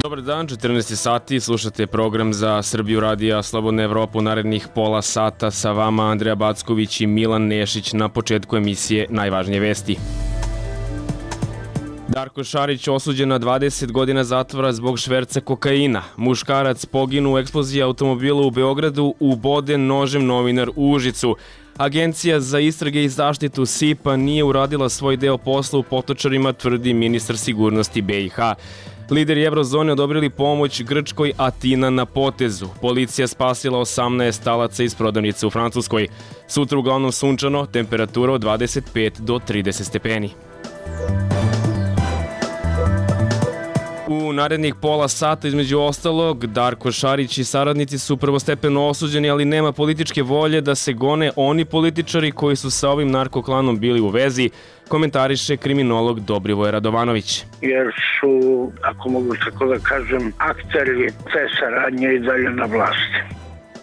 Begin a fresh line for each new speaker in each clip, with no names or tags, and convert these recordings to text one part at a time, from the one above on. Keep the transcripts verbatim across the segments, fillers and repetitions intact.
Dobar dan, četrnaest sati, slušate program za Srbiju radija Slobodna Evropa u narednih pola sata. Sa vama Andreja Backović i Milan Nešić. Na početku emisije najvažnije vesti. Darko Šarić osuđen na dvadeset godina zatvora zbog šverca kokaina. Muškarac poginu u eksploziji automobila u Beogradu, uboden nožem novinar u Užicu. Agencija za istrage i zaštitu S I P-a nije uradila svoj deo posla u Potočarima, tvrdi ministar sigurnosti B i H. Lideri Evrozone odobrili pomoć Grčkoj, Atina na potezu. Policija spasila osamnaest talaca iz prodavnice u Francuskoj. Sutra uglavnom sunčano, temperatura od dvadeset pet do trideset stepeni. U narednih pola sata, između ostalog, Darko Šarić i saradnici su prvostepeno osuđeni, ali nema političke volje da se gone oni političari koji su sa ovim narkoklanom bili u vezi, komentariše kriminolog Dobrivoje Radovanović.
Jer su, ako mogu tako da kažem, akteri te saradnje i dalje na vlasti.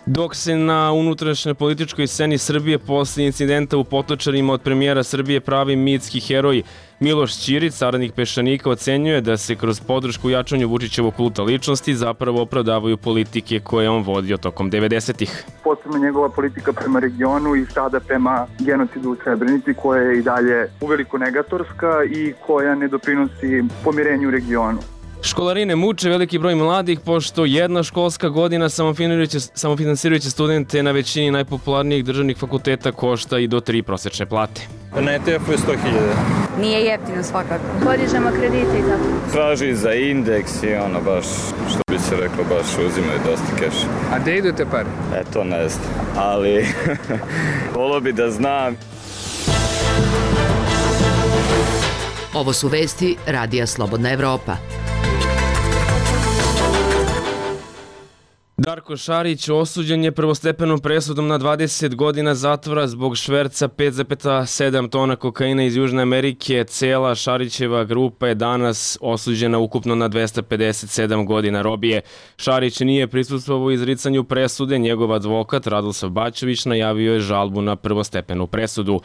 Dok se na unutrašnjoj političkoj sceni Srbije posle incidenta u Potočarima od premijera Srbije pravi mitski heroj Miloš Ćirić, saradnik Peščanika, ocenjuje da se kroz podršku jačanju Vučićevog kulta ličnosti zapravo opravdavaju politike koje on vodio tokom devedesetih.
Posebno njegova politika prema regionu i sada prema genocidu u Srebrenici, koja je i dalje uveliko negatorska i koja ne doprinosi pomirenju u regionu.
Školarine muče veliki broj mladih, pošto jedna školska godina samofinansirajuće studente na većini najpopularnijih državnih fakulteta košta i do tri prosečne plate.
Na E T F-u je sto hiljada.
Nije jeftino svakako. Podižemo kredite i tako.
Traži za indeks i ono baš, što bi se rekao, baš uzimaju dosta keša.
A gde idu te pare?
E, to ne znam, ali volio bi da znam.
Ovo su vesti Radija Slobodna Evropa.
Darko Šarić osuđen je prvostepenom presudom na dvadeset godina zatvora zbog šverca pet zarez sedam tona kokaina iz Južne Amerike. Cela Šarićeva grupa je danas osuđena ukupno na dvesta pedeset sedam godina robije. Šarić nije prisustvovao u izricanju presude, njegov advokat Radoslav Bačević najavio je žalbu na prvostepenu presudu.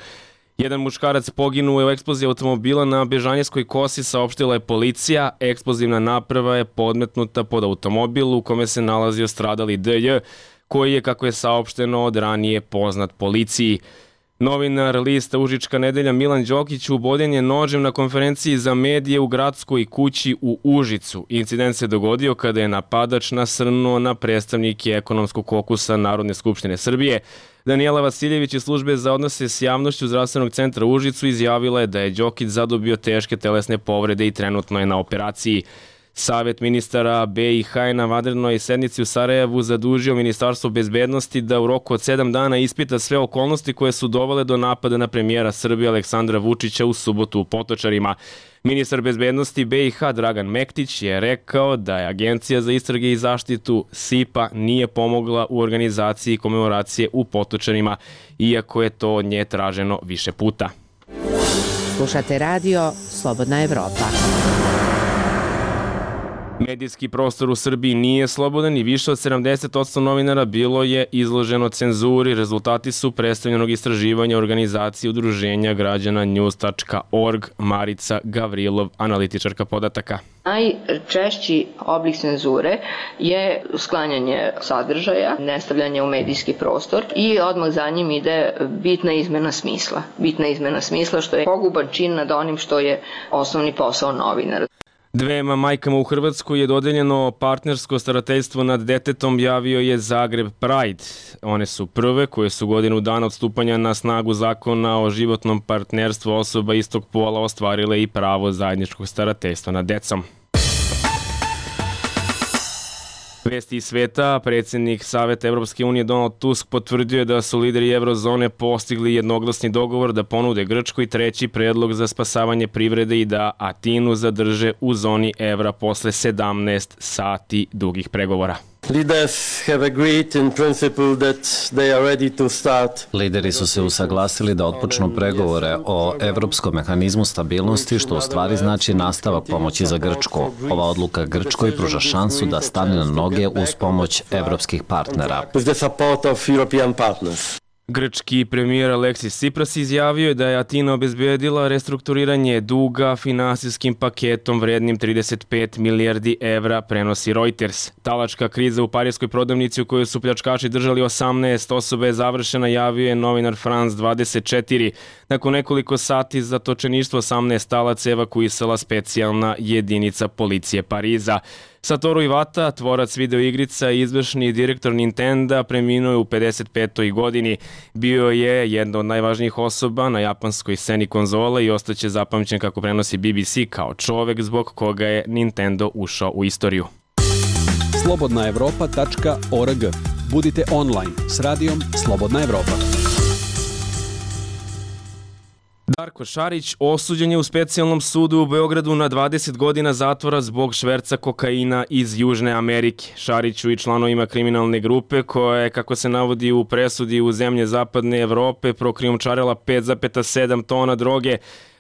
Jedan muškarac poginuo je u eksploziji automobila na Bežanijskoj kosi, saopštila je policija. Eksplozivna naprava je podmetnuta pod automobil u kome se nalazio stradali D J, koji je, kako je saopšteno, od ranije poznat policiji. Novinar lista Užička nedelja Milan Đokić uboden je nožem na konferenciji za medije u gradskoj kući u Užicu. Incident se dogodio kada je napadač nasrnuo na predstavnike ekonomskog kokusa Narodne skupštine Srbije. Danijela Vasiljević iz službe za odnose s javnošću Zdravstvenog centra u Užicu izjavila je da je Đokić zadobio teške telesne povrede i trenutno je na operaciji. Savet ministara B i H na vanrednoj sednici u Sarajevu zadužio Ministarstvo bezbednosti da u roku od sedam dana ispita sve okolnosti koje su dovele do napada na premijera Srbije Aleksandra Vučića u subotu u Potočarima. Ministar bezbednosti B i H Dragan Mektić je rekao da je Agencija za istrage i zaštitu S I P-a nije pomogla u organizaciji komemoracije u Potočarima, iako je to od nje traženo više puta.
Slušate radio Slobodna Evropa.
Medijski prostor u Srbiji nije slobodan i više od sedamdeset posto novinara bilo je izloženo cenzuri. Rezultati su predstavljenog istraživanja organizacije udruženja građana news tačka org. Marica Gavrilov, analitičarka podataka.
Najčešći oblik cenzure je sklanjanje sadržaja, nestavljanje u medijski prostor i odmah za njim ide bitna izmena smisla. Bitna izmena smisla što je poguban čin nad onim što je osnovni posao novinara.
Dvema majkama u Hrvatskoj je dodeljeno partnersko starateljstvo nad detetom, javio je Zagreb Pride. One su prve koje su godinu dana od stupanja na snagu zakona o životnom partnerstvu osoba istog pola ostvarile i pravo zajedničkog starateljstva nad decom. Vesti iz sveta, predsjednik Saveta Evropske unije Donald Tusk potvrdio je da su lideri Evrozone postigli jednoglasni dogovor da ponude Grčkoj treći predlog za spasavanje privrede i da Atinu zadrže u zoni evra posle sedamnaest sati dugih pregovora.
Lideri su se usaglasili da otpočnu pregovore o evropskom mehanizmu stabilnosti, što u stvari znači nastavak pomoći za Grčku. Ova odluka Grčkoj pruža šansu da stane na noge uz pomoć evropskih partnera.
Grčki premijer Aleksis Tsipras izjavio je da je Atina obezbedila restrukturiranje duga finansijskim paketom vrednim trideset pet milijardi evra, prenosi Reuters. Talačka kriza u parijskoj prodavnici u kojoj su pljačkaši držali osamnaest osoba je završena, javio je novinar France dvadeset četiri. Nakon nekoliko sati zatočeništvo osamnaest talaca evakuisala specijalna jedinica policije Pariza. Satoru Iwata, tvorac videoigrica i izvršni direktor Nintenda, preminuo je u pedeset petoj godini. Bio je jedna od najvažnijih osoba na japanskoj sceni konzole i ostaće zapamćen, kako prenosi B B C, kao čovek zbog koga je Nintendo ušao u istoriju.
slobodna evropa tačka org. Budite online s radijom Slobodna Evropa.
Darko Šarić osuđen je u specijalnom sudu u Beogradu na dvadeset godina zatvora zbog šverca kokaina iz Južne Amerike. Šariću i članovima kriminalne grupe, koja je, kako se navodi u presudi, u zemlje zapadne Evrope prokrijumčarila pet zarez sedam tona droge,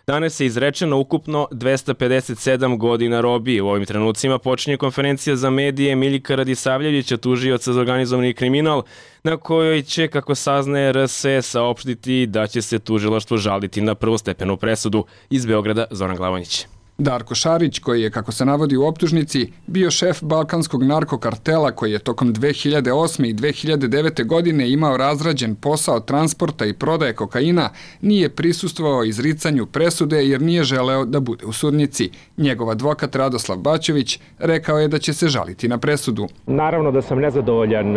danas je izrečeno ukupno dvesta pedeset sedam godina robije. U ovim trenucima počinje konferencija za medije Miljka Radisavljevića, tužioca za organizovani kriminal, na kojoj će, kako saznaje R S E, saopštiti da će se tužilaštvo žaliti na prvostepenu presudu. Iz Beograda, Zoran Glavonjić.
Darko Šarić, koji je, kako se navodi u optužnici, bio šef balkanskog narkokartela koji je tokom dve hiljade osme i dve hiljade devete. godine imao razrađen posao transporta i prodaje kokaina, nije prisustvovao izricanju presude jer nije želeo da bude u sudnici. Njegov advokat Radoslav Baćević rekao je da će se žaliti na presudu.
Naravno da sam nezadovoljan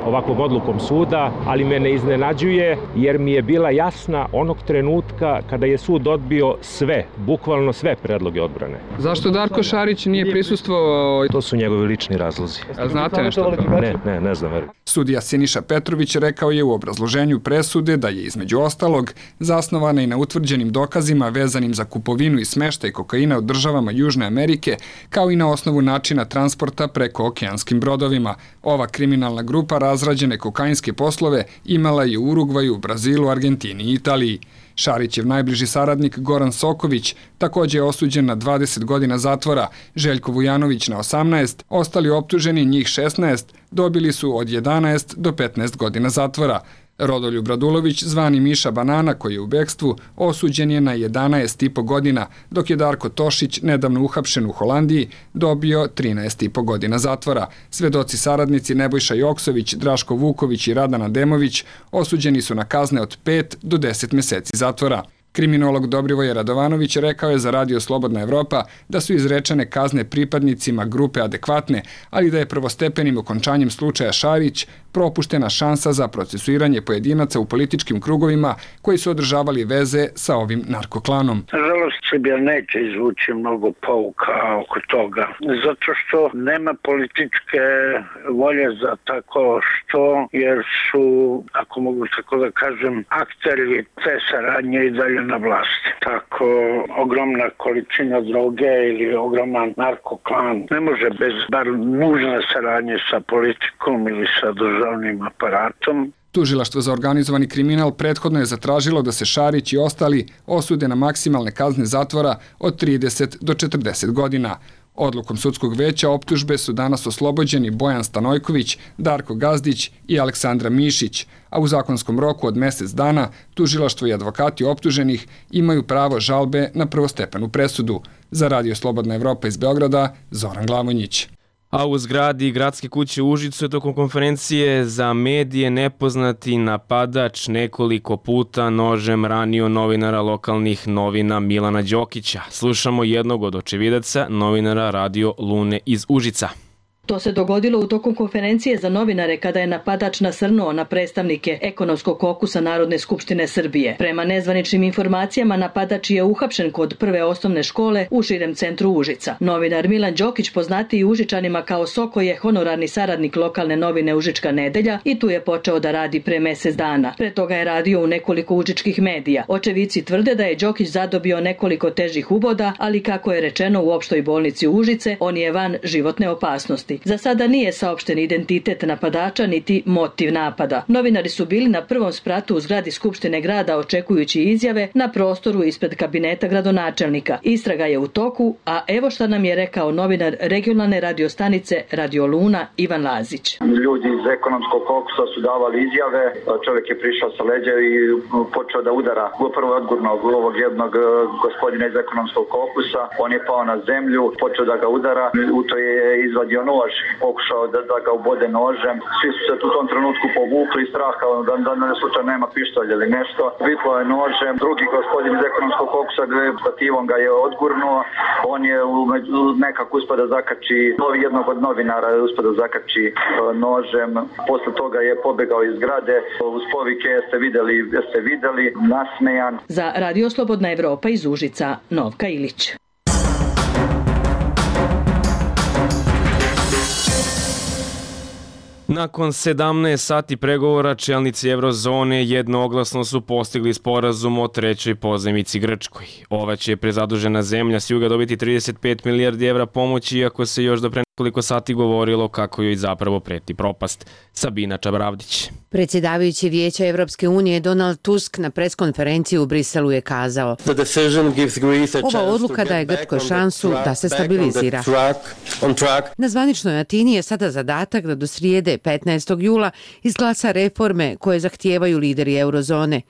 ovakvom odlukom suda, ali me ne iznenađuje jer mi je bila jasna onog trenutka kada je sud odbio sve, bukvalno sve predloge odbrane.
Zašto Darko Šarić nije prisustvovao?
To su njegovi lični razlozi.
A znate nešto?
Ne, ne, ne znam.
Sudija Siniša Petrović rekao je u obrazloženju presude da je između ostalog zasnovana i na utvrđenim dokazima vezanim za kupovinu i smeštaj kokaina u državama Južne Amerike, kao i na osnovu načina transporta preko okeanskim brodovima. Ova kriminalna grupa razrađene kokainske poslove imala je u Urugvaju, Brazilu, Argentini i Italiji. Šarićev najbliži saradnik Goran Soković također je osuđen na dvadeset godina zatvora, Željko Vujanović na osamnaest, ostali optuženi, njih šesnaest, dobili su od jedanaest do petnaest godina zatvora. Rodoljub Radulović, zvani Miša Banana, koji je u bekstvu, osuđen je na jedanaest i po godina, dok je Darko Tošić, nedavno uhapšen u Holandiji, dobio trinaest i po godina zatvora. Svedoci saradnici Nebojša Joksović, Draško Vuković i Radana Demović osuđeni su na kazne od pet do deset meseci zatvora. Kriminolog Dobrivoje Radovanović rekao je za Radio Slobodna Evropa da su izrečene kazne pripadnicima grupe adekvatne, ali da je prvostepenim okončanjem slučaja Šarić propuštena šansa za procesuiranje pojedinaca u političkim krugovima koji su održavali veze sa ovim narkoklanom.
Nažalost, Srbija neće izvući mnogo pouka oko toga, zato što nema političke volje za tako što, jer su, ako mogu tako da kažem, akteri te saradnje i dalje na vlasti. Tako ogromna količina droge ili ogroman narkoklan ne može bez bar nužne saradnje sa politikom ili sa državnim aparatom.
Tužilaštvo za organizovani kriminal prethodno je zatražilo da se Šarić i ostali osude na maksimalne kazne zatvora od trideset do četrdeset godina. Odlukom sudskog veća optužbe su danas oslobođeni Bojan Stanojković, Darko Gazdić i Aleksandra Mišić, a u zakonskom roku od mesec dana tužilaštvo i advokati optuženih imaju pravo žalbe na prvostepenu presudu. Za Radio Slobodna Evropa iz Beograda, Zoran Glavonjić.
A u zgradi Gradske kuće u Užicu je tokom konferencije za medije nepoznati napadač nekoliko puta nožem ranio novinara lokalnih novina Milana Đokića. Slušamo jednog od očevidaca, novinara Radio Lune iz Užica.
To se dogodilo u tokom konferencije za novinare kada je napadač nasrnuo na predstavnike ekonomskog kokusa Narodne skupštine Srbije. Prema nezvaničnim informacijama, napadač je uhapšen kod prve osnovne škole u širem centru Užica. Novinar Milan Đokić, poznatiji Užičanima kao Soko, je honorarni saradnik lokalne novine Užička nedelja i tu je počeo da radi pre mesec dana. Pre toga je radio u nekoliko užičkih medija. Očevici tvrde da je Đokić zadobio nekoliko težih uboda, ali kako je rečeno u opštoj bolnici Užice, on je van životne opasnosti. vlasti. Za sada nije saopšten identitet napadača niti motiv napada. Novinari su bili na prvom spratu u zgradi Skupštine grada očekujući izjave na prostoru ispred kabineta gradonačelnika. Istraga je u toku, a evo šta nam je rekao novinar regionalne radiostanice Radio Luna Ivan Lazić.
Ljudi iz ekonomskog kokusa su davali izjave, čovjek je prišao sa leđa i počeo da udara prvo odgurnog ovog jednog gospodina iz ekonomskog kokusa. On je pao na zemlju, počeo da ga udara, u to je izvadio nož, pokušao da, da ga ubode nožem. Svi su se u tom trenutku povukli iz straha da, da, da slučajno nema pištolja ili nešto. Vitlo je nožem, drugi gospodin iz ekonomskog kokusa stativom ga je odgurnuo. On je nekako uspio da zakači jednog od novinara, uspio da zakači nožem. Posle toga je pobegao iz zgrade uz povike jeste videli, jeste videli, nasmejan.
Za Radio Slobodna Evropa iz Užica, Novka Ilić.
Nakon sedamnaest sati pregovora čelnici Eurozone jednoglasno su postigli sporazum o trećoj pozajmici Grčkoj. Ova će prezadužena zemlja s juga dobiti trideset pet milijardi evra pomoći, iako se još do pre nekoliko sati govorilo kako joj zapravo preti propast. Sabina Čabravdić.
Predsjedavajući Vijeća Evropske unije Donald Tusk na preskonferenciji u Briselu je kazao: ova odluka daje Grčkoj šansu da se stabilizira. Na zvaničnoj Atini je sada zadatak da do srijede petnaestog jula izglasa reforme koje zahtijevaju lideri Eurozone.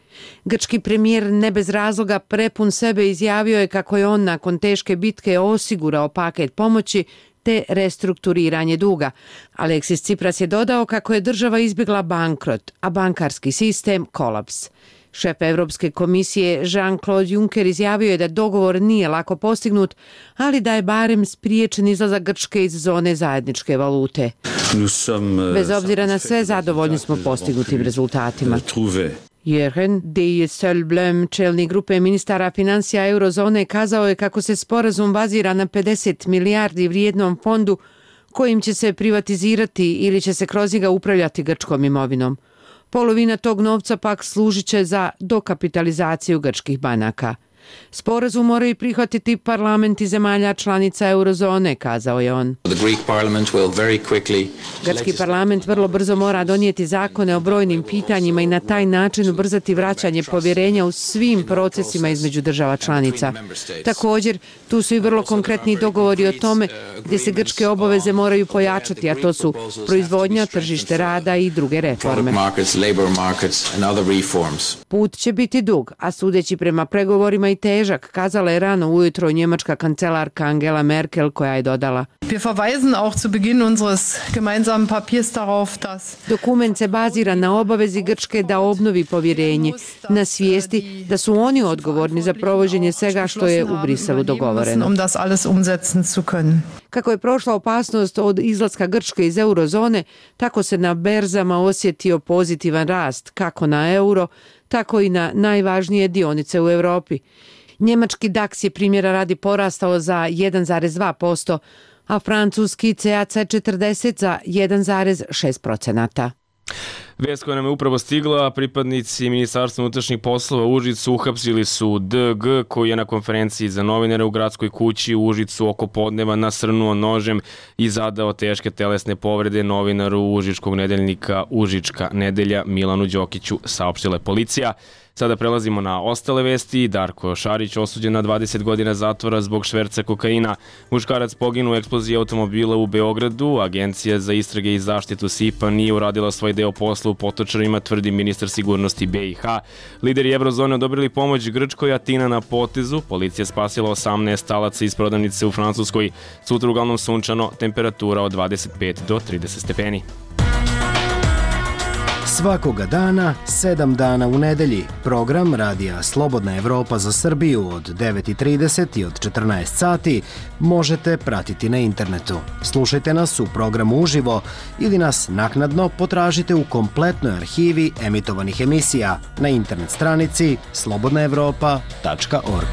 Grčki premijer ne bez razloga prepun sebe izjavio je kako je on nakon teške bitke osigurao paket pomoći te restrukturiranje duga. Aleksis Tsipras je dodao kako je država izbjegla bankrot, a bankarski sistem kolaps. Šef Evropske komisije Jean-Claude Juncker izjavio je da dogovor nije lako postignut, ali da je barem spriječen izlazak Grčke iz zone zajedničke valute. Bez obzira na sve, zadovoljni smo postignutim rezultatima. Jürgen Dijsselbloem, čelnik grupe ministara financija Eurozone, kazao je kako se sporazum bazira na pedeset milijardi vrijednom fondu kojim će se privatizirati ili će se kroz njega upravljati grčkom imovinom. Polovina tog novca pak služit će za dokapitalizaciju grčkih banaka. Sporazum moraju prihvatiti parlamenti zemalja članica Eurozone, kazao je on. Grčki parlament vrlo brzo mora donijeti zakone o brojnim pitanjima i na taj način ubrzati vraćanje povjerenja u svim procesima između država članica. Također, tu su i vrlo konkretni dogovori o tome gdje se grčke obaveze moraju pojačati, a to su proizvodnja, tržište rada i druge reforme. Put će biti dug, a sudeći prema pregovorima i težak, kazala je rano ujutro njemačka kancelarka Angela Merkel, koja je dodala: dokument se bazira na obavezi Grčke da obnovi povjerenje, na svijesti da su oni odgovorni za provođenje svega što je u Briselu dogovoreno. Kako je prošla opasnost od izlaska Grčke iz eurozone, tako se na berzama osjetio pozitivan rast, kako na euro, tako i na najvažnije dionice u Europi. Njemački DAX je primjera radi porastao za jedan zarez dva posto, a francuski C A C četrdeset za jedan zarez šest posto.
Vest koja nam je upravo stigla, pripadnici Ministarstva unutrašnjih poslova u Užicu uhapsili su D G, koji je na konferenciji za novinare u gradskoj kući u Užicu oko podneva nasrnuo nožem i zadao teške telesne povrede novinaru užičkog nedeljnika Užička nedelja Milanu Đokiću, saopštila je policija. Sada prelazimo na ostale vesti. Darko Šarić osuđen na dvadeset godina zatvora zbog šverca kokaina. Muškarac poginuo u eksploziji automobila u Beogradu. Agencija za istrage i zaštitu S I P A nije uradila svoj deo posla u Potočarima, tvrdi ministar sigurnosti B i H. Lideri Eurozone odobrili pomoć Grčkoj, Atina na potezu. Policija spasila osamnaest talaca iz prodavnice u Francuskoj. Sutra uglavnom sunčano, temperatura od dvadeset pet do trideset stepeni.
Svakoga dana, sedam dana u nedelji, program Radija Slobodna Evropa za Srbiju od devet i trideset i od četrnaest sati možete pratiti na internetu. Slušajte nas u programu uživo ili nas naknadno potražite u kompletnoj arhivi emitovanih emisija na internet stranici slobodna evropa tačka org.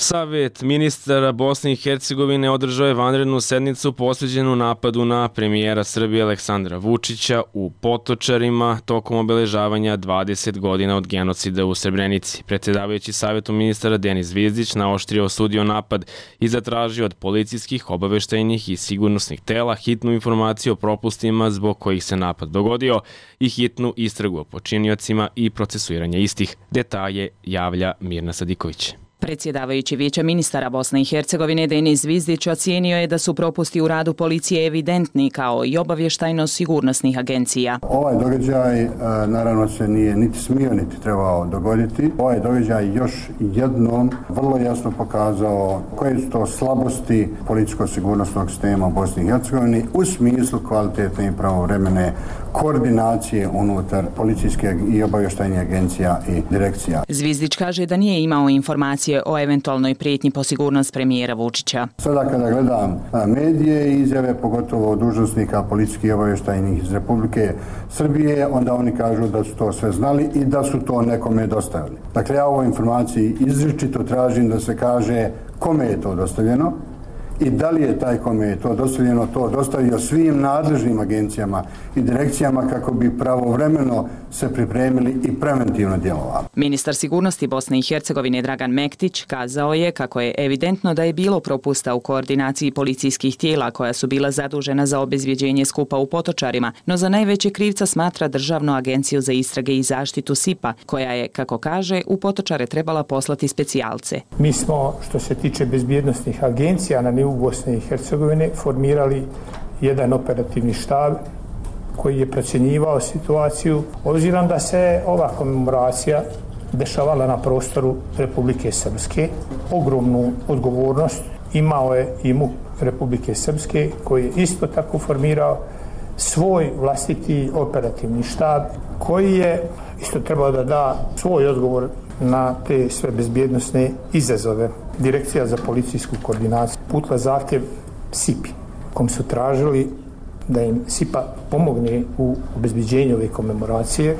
Savet ministara Bosne i Hercegovine održao je vanrednu sednicu posveđenu napadu na premijera Srbije Aleksandra Vučića u Potočarima tokom obeležavanja dvadeset godina od genocida u Srebrenici. Predsjedavajući Savetu ministara Denis Zvizdić naoštrio osudio napad i zatražio od policijskih, obaveštajnih i sigurnosnih tela hitnu informaciju o propustima zbog kojih se napad dogodio i hitnu istragu o počiniocima i procesuiranje istih. Detalje javlja Mirna Sadiković.
Predsjedavajući Vijeća ministara Bosne i Hercegovine Denis Zvizdić ocijenio je da su propusti u radu policije evidentni kao i obavještajno-sigurnosnih agencija.
Ovaj događaj naravno se nije niti smio niti trebao dogoditi. Ovaj događaj još jednom vrlo jasno pokazao koje su to slabosti policijsko-sigurnosnog sistema u Bosni i Hercegovini u smislu kvalitetne i pravovremene koordinacije unutar policijske i obavještajnih agencija i direkcija.
Zvizdić kaže da nije imao informacije o eventualnoj prijetnji po sigurnost premijera Vučića.
Sada kada gledam medije i izjave, pogotovo dužnosnika policijskih i obavještajnih iz Republike Srbije, onda oni kažu da su to sve znali i da su to nekome dostavili. Dakle, ja u ovoj informaciji izričito tražim da se kaže kome je to dostavljeno i da li je taj kome je to dostavljeno to dostavio svim nadležnim agencijama i direkcijama kako bi pravovremeno se pripremili i preventivno djelovali.
Ministar sigurnosti Bosne i Hercegovine Dragan Mektić kazao je kako je evidentno da je bilo propusta u koordinaciji policijskih tijela koja su bila zadužena za obezbjeđenje skupa u Potočarima, no za najveće krivca smatra Državnu agenciju za istrage i zaštitu S I P-a, koja je, kako kaže, u Potočare trebala poslati specijalce.
Mi smo, što se tiče bezbjednosnih agencija na nivou Bosne i Hercegovine, formirali jedan operativni štab koji je procjenjivao situaciju, obzirom da se ova komemoracija dešavala na prostoru Republike Srpske. Ogromnu odgovornost imao je i MUP Republike Srpske, koji je isto tako formirao svoj vlastiti operativni štab, koji je isto trebao da da svoj odgovor na te sve bezbjednosne izazove. Direkcija za policijsku koordinaciju putila zahtjev S I P-i, kom su tražili da im S I P-a pomogne u obezbeđenju ove komemoracije.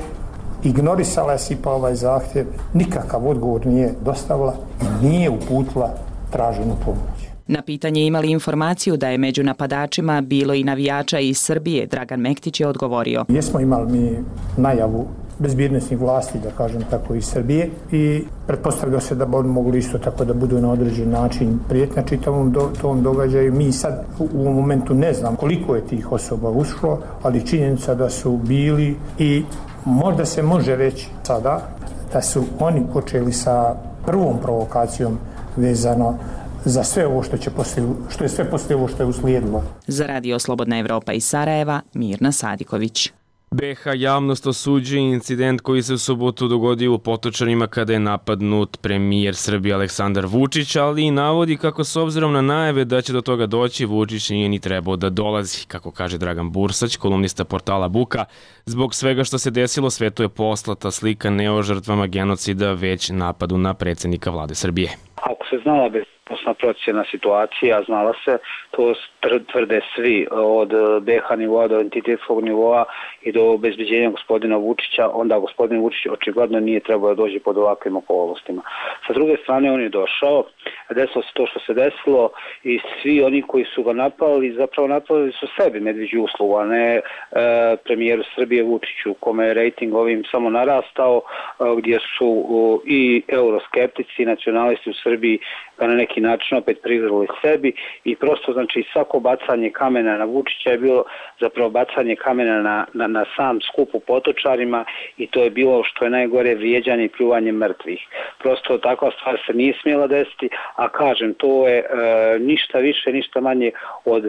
Ignorisala je S I P-a ovaj zahtjev, nikakav odgovor nije dostavila i nije uputila traženu pomoć.
Na pitanje imali informaciju da je među napadačima bilo i navijača iz Srbije, Dragan Mektić je odgovorio.
Jesmo imali mi najavu bezbjednosnih vlasti, da kažem tako, iz Srbije i pretpostavljao se da bi oni mogli isto tako da budu na određen način prijetnja čitavom do, tom događaju. Mi sad u ovom momentu ne znam koliko je tih osoba ušlo, ali činjenica da su bili i možda se može reći sada da su oni počeli sa prvom provokacijom vezano za sve ovo što će poslije, što je sve poslije ovo što je uslijedilo.
Za Radio Slobodna Evropa iz Sarajeva, Mirna Sadiković.
B H javnost osuđuje incident koji se u subotu dogodio u Potočarima kada je napadnut premijer Srbije Aleksandar Vučić, ali i navodi kako s obzirom na najave da će do toga doći, Vučić nije ni trebao da dolazi. Kako kaže Dragan Bursać, kolumnista portala Buka, zbog svega što se desilo svetu je poslata slika ne o žrtvama genocida, već napadu na predsjednika vlade Srbije.
Ako se znala bezposna procjena situacija, znala se, to tvrde svi od B H nivoa do entitetskog nivoa i do obezbeđenja gospodina Vučića, onda gospodin Vučić očigledno nije trebao da dođe pod ovakvim okolnostima. Sa druge strane on je došao, desilo se to što se desilo i svi oni koji su ga napali, zapravo napali su sebi medveđu uslugu, a ne e, premijeru Srbije Vučiću, kome je rejting ovim samo narastao, e, gdje su o, i euroskeptici i nacionalisti u Srbiji ga na neki način opet prigrali sebi i prosto znači svako bacanje kamena na Vučića je bilo zapravo bacanje kamena na, na, na sam skup u Potočarima i to je bilo što je najgore vrijeđanje i pljuvanje mrtvih. Prosto takva stvar se nije smjela desiti, a kažem to je e, ništa više, ništa manje od e,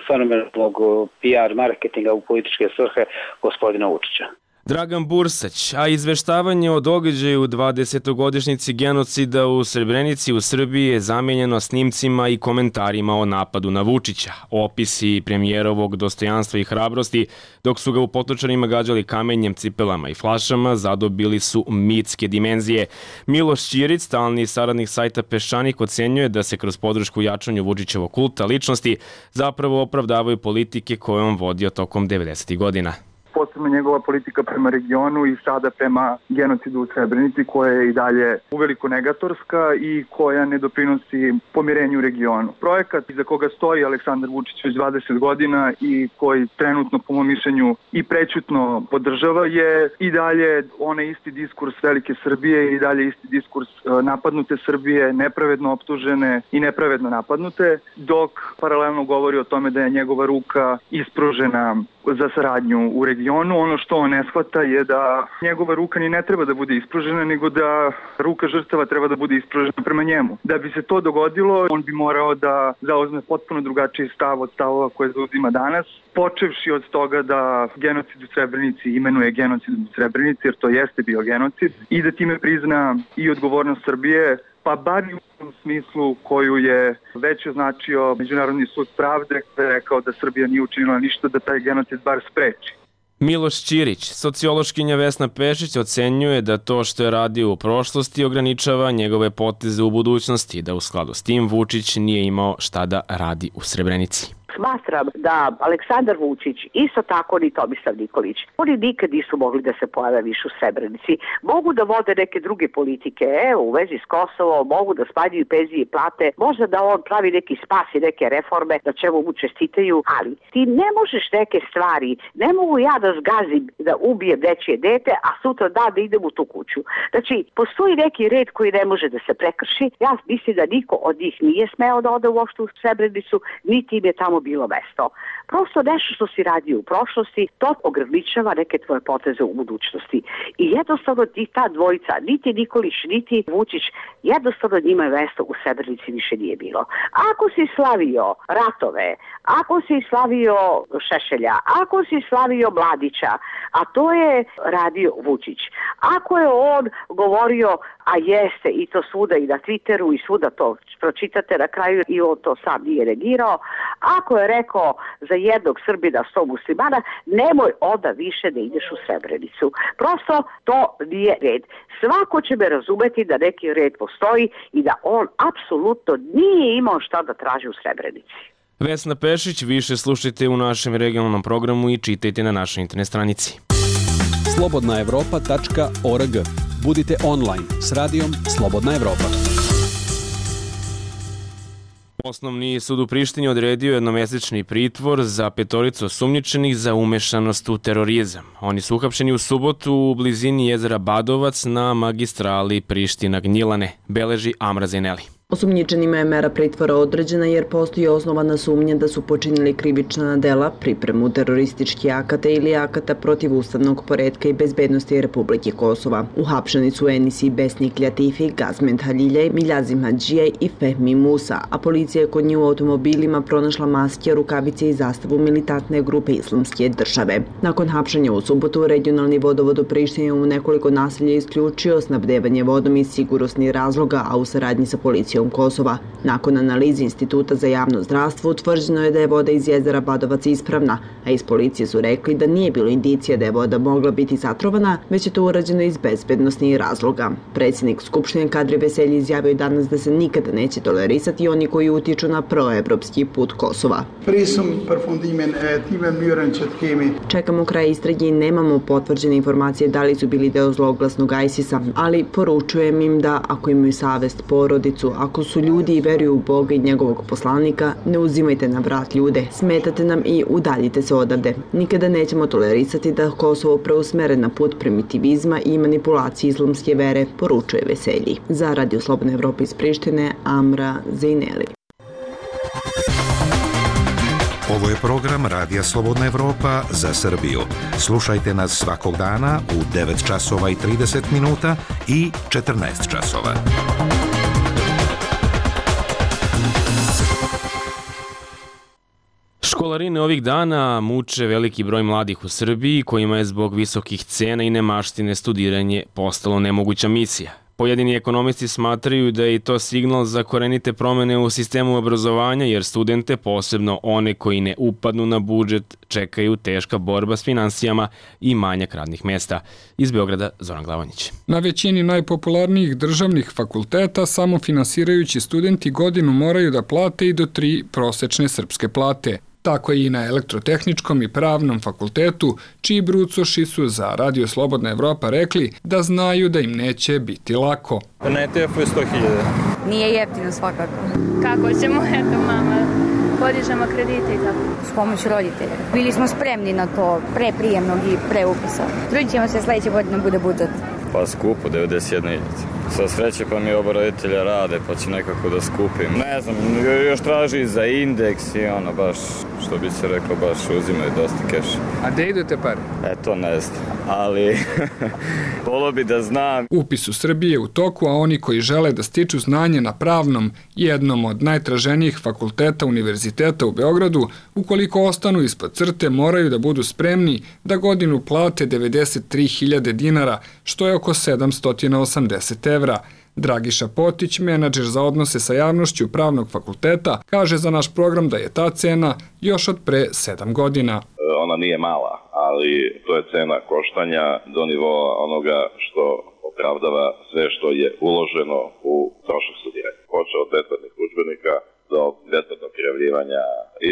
fenomenalnog P R marketinga u političke svrhe gospodina Vučića.
Dragan Bursać, a izveštavanje o događaju dvadesetogodišnjici genocida u Srebrenici u Srbiji je zamijenjeno snimcima i komentarima o napadu na Vučića. Opisi premijerovog dostojanstva i hrabrosti, dok su ga u Potočarima gađali kamenjem, cipelama i flašama, zadobili su mitske dimenzije. Miloš Ćirić, stalni saradnik sajta Peščanik, ocenjuje da se kroz podršku jačanju Vučićevog kulta ličnosti zapravo opravdavaju politike koje on vodio tokom devedesetih godina.
posebno njegova politika prema regionu i sada prema genocidu u Srebrenici, koja je i dalje uveliko negatorska i koja ne doprinosi pomirenju u regionu. Projekat iza koga stoji Aleksandar Vučić već dvadeset godina i koji trenutno po mom mišljenju i prećutno podržava je i dalje onaj isti diskurs velike Srbije i dalje isti diskurs napadnute Srbije, nepravedno optužene i nepravedno napadnute, dok paralelno govori o tome da je njegova ruka ispružena za saradnju u regionu. Ono što on ne shvata je da njegova ruka ni ne treba da bude ispružena, nego da ruka žrtava treba da bude ispružena prema njemu. Da bi se to dogodilo, on bi morao da zauzme potpuno drugačiji stav od stavova koje zauzima danas, počevši od toga da genocid u Srebrenici imenuje genocid u Srebrenici, jer to jeste bio genocid, i da time prizna i odgovornost Srbije, pa bar i u tom smislu koju je već označio Međunarodni sud pravde, kada je rekao da Srbija nije učinila ništa da taj genocid bar spreči.
Miloš Ćirić, sociološkinja Vesna Pešić, ocenjuje da to što je radio u prošlosti ograničava njegove poteze u budućnosti, da u skladu s tim Vučić nije imao šta da radi u Srebrenici.
Smatram da Aleksandar Vučić, isto tako ni Tomislav Nikolić, oni nikad nisu mogli da se pojave više u Srebrenici. Mogu da vode neke druge politike, evo, u vezi s Kosovom, mogu da smanjuju penzije i plate, možda da on pravi neki spas i neke reforme, na čemu mu čestitaju, ali ti ne možeš neke stvari, ne mogu ja da zgazim da ubijem nečije dete, a sutra dan da idem u tu kuću. Znači, postoji neki red koji ne može da se prekrši. Ja mislim da niko od njih nije smeo da ode uopšte u Srebrenicu, niti im je tamo bilo mesto. Prosto nešto što si radio u prošlosti, to ograničava neke tvoje poteze u budućnosti. I jednostavno ti ta dvojica, niti Nikolić, niti Vučić, jednostavno njima je mesto u Srebrenici više nije bilo. Ako si slavio ratove, ako si slavio Šešelja, ako si slavio Mladića, a to je radio Vučić, ako je on govorio, a jeste i to svuda i na Twitteru i svuda to pročitate na kraju i on to sam nije negirao, ako je rekao za jednog Srbina sto muslimana, nemoj onda više da ideš u Srebrenicu. Prosto to nije red. Svako će me razumeti da neki red postoji i da on apsolutno nije imao šta da traži u Srebrenici.
Vesna Pešić, više slušajte u našem regionalnom programu i čitajte na našoj internet stranici.
slobodna evropa tačka org. Budite online s radijom Slobodna Evropa.
Osnovni sud u Prištini odredio jednomesečni pritvor za petoricu osumnjičenih za umešanost u terorizam. Oni su uhapšeni u subotu u blizini jezera Badovac na magistrali Priština-Gnjilane, beleži Amra Zeneli.
Osumnjičenima je mera pritvora određena jer postoji osnovana sumnja da su počinili krivična dela, pripremu terorističkih akata ili akata protiv ustavnog poretka i bezbednosti Republike Kosova. Uhapšeni su Enisi Besnik Ljatifi, Gazment Haljiljaj, Miljazim Hadžija i Fehmi Musa, a policija je kod njih u automobilima pronašla maske, rukavice i zastavu militantne grupe Islamske države. Nakon hapšenja u subotu, regionalni vodovod u Prištini u nekoliko naselja isključio snabdevanje vodom iz sigurnosnih razloga, a u saradnji sa policijom Kosova. Nakon analize Instituta za javno zdravstvo utvrđeno je da je voda iz jezera Badovac ispravna, a iz policije su rekli da nije bilo indicija da je voda mogla biti zatrovana, već je to urađeno iz bezbednosnih razloga. Predsjednik Skupštine Kadri Veselji izjavio danas da se nikada neće tolerisati oni koji utiču na proevropski put Kosova. Čekamo kraj istrage i nemamo potvrđene informacije da li su bili deo zloglasnog ISIS-a, ali poručujem im da ako imaju savest, porodicu, ako su ljudi i veruju u Boga i njegovog poslanika, ne uzimajte na vrat ljude, smetate nam i udaljite se odavde. Nikada nećemo tolerisati da Kosovo preusmere na put primitivizma i manipulacije islamske vere, poručuje Veselji. Za Radio Slobodna Evropa iz Prištine, Amra Zejneli.
Ovo je program Radija Slobodna Evropa za Srbiju. Slušajte nas svakog dana u devet časova i trideset minuta i četrnaest časova.
Školarine ovih dana muče veliki broj mladih u Srbiji kojima je zbog visokih cena i nemaštine studiranje postalo nemoguća misija. Pojedini ekonomisti smatraju da je i to signal za korenite promene u sistemu obrazovanja, jer studente, posebno one koji ne upadnu na budžet, čekaju teška borba s finansijama i manjak radnih mesta. Iz Beograda, Zoran Glavanić.
Na većini najpopularnijih državnih fakulteta samofinansirajući studenti godinu moraju da plate i do tri prosečne srpske plate. Tako je i na elektrotehničkom i pravnom fakultetu, čiji brucoši su za Radio Slobodna Evropa rekli da znaju da im neće biti lako.
Na E T F-u je sto hiljada.
Nije jeftino svakako. Kako ćemo, eto mama, podižemo kredite i tako. S pomoću roditelja. Bili smo spremni na to pre prijemnog i pre upisa. Trudit ćemo se sledeće godine bude budžet.
Pa skupo, devedeset jedna hiljada. Sa sreće pa mi oba roditelja rade, pa će nekako da skupim. Ne znam, još traži za indeks i ono baš, što bi se reklo, baš uzimaju dosta keša.
A gde idu te pare?
E, to ne znam, ali volio bi da znam.
Upis u Srbiji je u toku, a oni koji žele da stiču znanje na pravnom, jednom od najtraženijih fakulteta univerziteta u Beogradu, ukoliko ostanu ispod crte, moraju da budu spremni da godinu plate devedeset tri hiljade dinara, što je oko sedamsto osamdeset evra. Dragiša Potić, menadžer za odnose sa javnošću Pravnog fakulteta, kaže za naš program da je ta cena još od pre sedam godina.
Ona nije mala, ali to je cena koštanja do nivoa onoga što opravdava sve što je uloženo u trošak studiranja. Počeo od besplatnih udžbenika do besplatnog prijavljivanja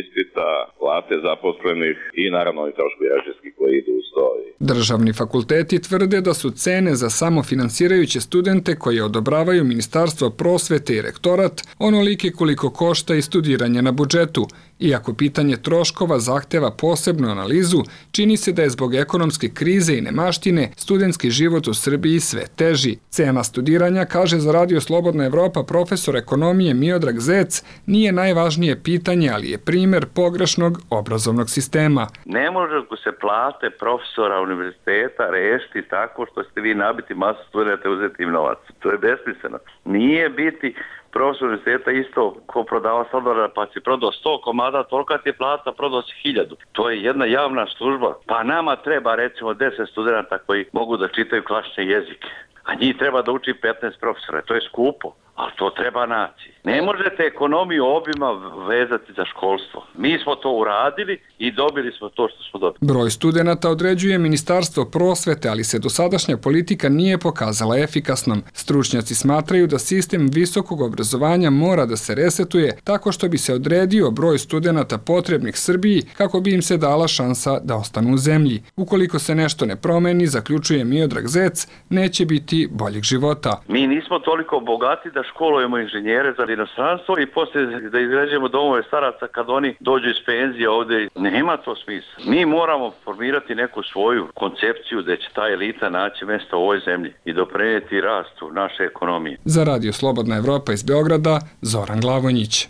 ispita, plate zaposlenih i naravno i troškovi režijski koji idu uz to.
Državni fakulteti tvrde da su cene za samofinansirajuće studente koje odobravaju Ministarstvo prosvete i rektorat onolike koliko košta i studiranje na budžetu. Iako pitanje troškova zahteva posebnu analizu, čini se da je zbog ekonomske krize i nemaštine studentski život u Srbiji sve teži. Cena studiranja, kaže za Radio Slobodna Evropa profesor ekonomije Miodrag Zec, nije najvažnije pitanje, ali je primer pogrešnog obrazovnog sistema.
Ne može se plate profesora univerziteta rešiti tako što ste vi nabiti masu studenta i uzeti im novac. To je besmisleno. Nije biti profesor univerziteta isto ko prodava sladoleda, pa si prodao sto komada, tolika ti je plata, prodao si hiljadu. To je jedna javna služba. Pa nama treba recimo deset studenta koji mogu da čitaju klasične jezike, a njih treba da uči petnaest profesora. To je skupo, ali to treba naći. Ne možete ekonomiju obima vezati za školstvo. Mi smo to uradili i dobili smo to što smo dobili.
Broj studenata određuje Ministarstvo prosvete, ali se dosadašnja politika nije pokazala efikasnom. Stručnjaci smatraju da sistem visokog obrazovanja mora da se resetuje tako što bi se odredio broj studenata potrebnih Srbiji kako bi im se dala šansa da ostanu u zemlji. Ukoliko se nešto ne promeni, zaključuje Miodrag Zec, neće biti boljeg života.
Mi nismo toliko bogati da školujemo inženjere za inostranstvo i poslije da izgrađujemo domove staraca kad oni dođu iz penzije ovde. Nema to smisla. Mi moramo formirati neku svoju koncepciju da će ta elita naći mjesto u ovoj zemlji i doprinijeti rastu naše ekonomije.
Za Radio Slobodna Evropa iz Beograda, Zoran Glavonjić.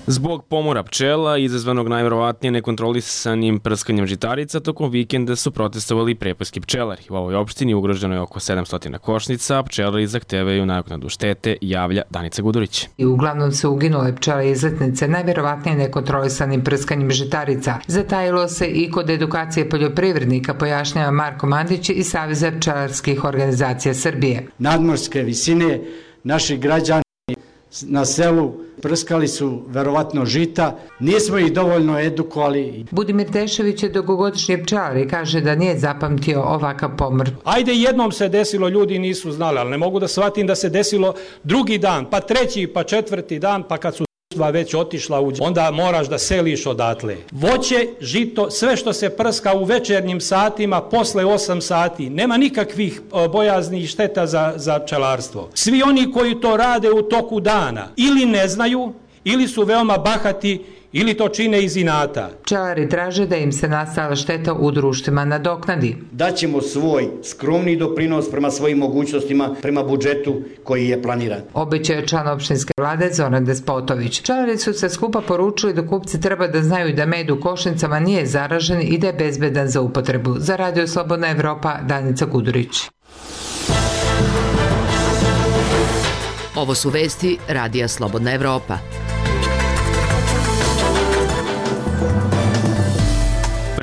Zbog pomora pčela, izazvanog najverovatnije nekontrolisanim prskanjem žitarica, tokom vikenda su protestovali prepojski pčelari. U ovoj opštini ugroženo je oko sedamsto košnica, a pčelari zahtevaju nadoknadu štete, javlja Danica Gudurić.
I uglavnom su uginule pčele izletnice najverovatnije nekontrolisanim prskanjem žitarica. Zatajilo se i kod edukacije poljoprivrednika, pojašnjava Marko Mandić iz Saveza pčelarskih organizacija Srbije.
Nadmorske visine naših građana na selu prskali su verovatno žita, nismo ih dovoljno edukovali.
Budimir Dešević je dugogodišnji pčelar i kaže da nije zapamtio ovakav pomor.
Ajde, jednom se desilo, ljudi nisu znali, ali ne mogu da shvatim da se desilo drugi dan, pa treći, pa četvrti dan, pa kad su već otišla u... onda moraš da seliš odatle. Voće, žito, sve što se prska u večernjim satima, posle osam sati, nema nikakvih bojaznih šteta za, za pčelarstvo. Svi oni koji to rade u toku dana ili ne znaju, ili su veoma bahati, ili to čine iz inata.
Pčelari traže da im se nastala šteta u društvima nadoknadi.
Daćemo svoj skromni doprinos prema svojim mogućnostima, prema budžetu koji je planiran.
Obećao je član opštinske vlade Zoran Despotović. Pčelari su se skupa poručili da kupci treba da znaju da med u košnicama nije zaražen i da je bezbedan za upotrebu. Za Radio Slobodna Evropa, Danica Gudurić.
Ovo su vesti Radija Slobodna Evropa.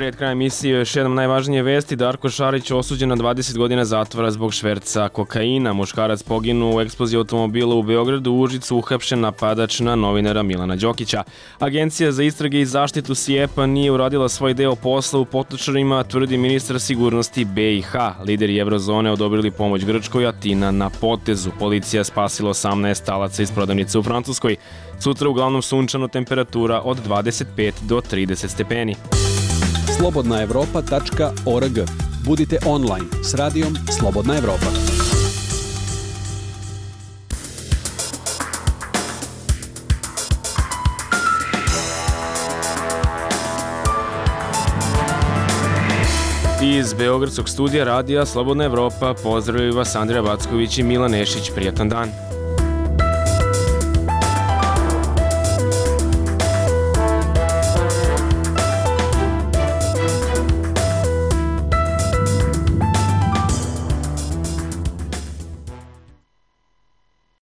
Pred krajem emisije još jednom najvažnije vesti. Darko Šarić osuđen na dvadeset godina zatvora zbog šverca kokaina. Muškarac poginuo u eksploziji automobila u Beogradu, u Užicu uhapšen napadač na novinara Milana Đokića. Agencija za istrage i zaštitu SIEPA nije uradila svoj deo posla u potočarima, tvrdi ministar sigurnosti B i H. Lideri Evrozone odobrili pomoć Grčkoj, Atina na potezu. Policija spasila osamnaest talaca iz prodavnice u Francuskoj. Sutra uglavnom sunčano, temperatura od dvadeset pet do trideset stepeni.
slobodna evropa tačka org. Budite online s radijom Slobodna Evropa.
Iz Beogradskog studija radija Slobodna Evropa pozdravljaju vas Andrija Backović i Milan Nešić. Prijatan dan.